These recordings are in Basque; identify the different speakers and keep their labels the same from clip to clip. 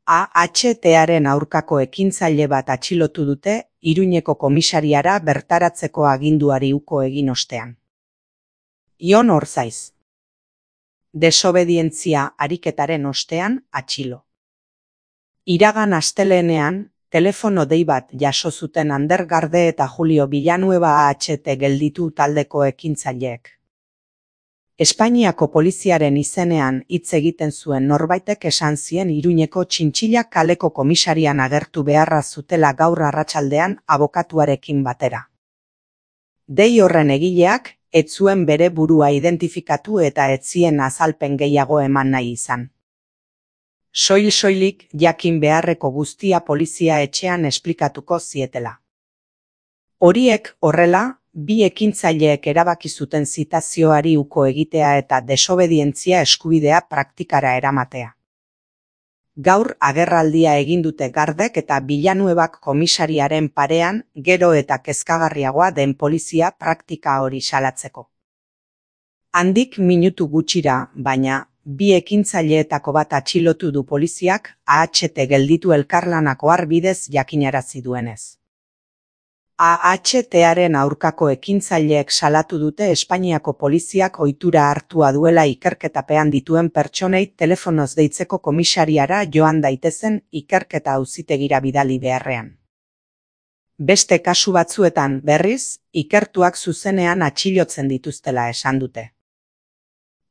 Speaker 1: AHTaren aurkako ekintzaile bat atxilotu dute Iruñeko komisariara bertaratzeko aginduari uko egin ostean. Ion Orzaiz. Desobedientzia ariketaren ostean atxilo. Iragan astelehenean, telefono dei bat jaso zuten Ander Garde eta Julio Villanueva AHT gelditu taldeko ekintzaileek. Espainiako poliziaren izenean hitz egiten zuen norbaitek esan zien Iruñeko Txintxilla kaleko komisarian agertu beharra zutela gaur arratsaldean abokatuarekin batera. Dei horren egileak ez zuen bere burua identifikatu eta ez zien azalpen gehiago eman nahi izan. Soilik jakin beharreko guztia polizia etxean esplikatuko zietela. Horiek horrela, bi ekintzaileek erabaki zuten zitazioari uko egitea eta desobedientzia eskubidea praktikara eramatea. Gaur agerraldia egin dute Gardek eta Villanuevak komisariaren parean gero eta kezkagarriagoa den polizia praktika hori salatzeko. Handik minutu gutxira, baina, bi ekintzaileetako bat atxilotu du poliziak AHT gelditu elkarlanako bidez jakinarazi duenez. AHTaren aurkako ekintzaileek salatu dute Espainiako poliziak ohitura hartua duela ikerketapean dituen pertsonei telefonoz deitzeko komisariara joan daitezen ikerketa auzitegira bidali beharrean. Beste kasu batzuetan, berriz, ikertuak zuzenean atxilotzen dituztela esan dute.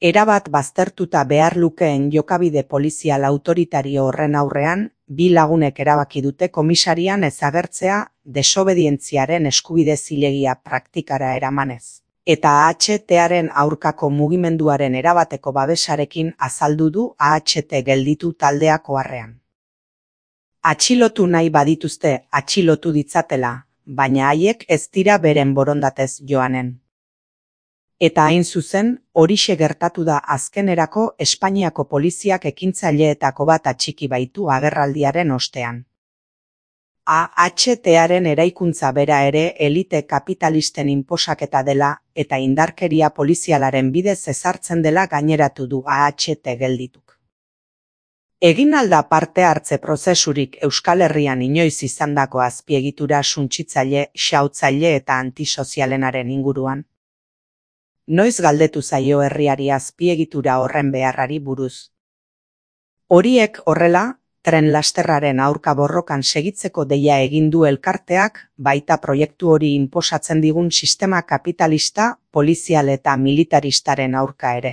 Speaker 1: Erabat baztertuta behar lukeen jokabide polizial autoritario horren aurrean, bi lagunek erabaki dute komisarian ez agertzea desobedientziaren eskubide zilegia praktikara eramanez. Eta AHTaren aurkako mugimenduaren erabateko babesarekin azaldu du AHT gelditu taldeak oharrean. Atxilotu nahi badituzte atxilotu ditzatela, baina haiek ez dira beren borondatez joanen. Eta hain zuzen, horixe gertatu da azkenerako Espainiako poliziak ekintzaileetako bat atxiki baitu agerraldiaren ostean. AHTaren eraikuntza bera ere elite kapitalisten inposaketa dela eta indarkeria polizialaren bidez ezartzen dela gaineratu du AHT geldituk. Egin alda parte hartze prozesurik Euskal Herrian inoiz izandako azpiegitura suntsitzaile, xautzaile eta antisozialenaren inguruan. Noiz galdetu zaio herriari azpiegitura horren beharrari buruz. Horiek horrela, tren lasterraren aurka borrokan segitzeko deia egin du elkarteak, baita proiektu hori inposatzen digun sistema kapitalista, polizial eta militaristaren aurka ere.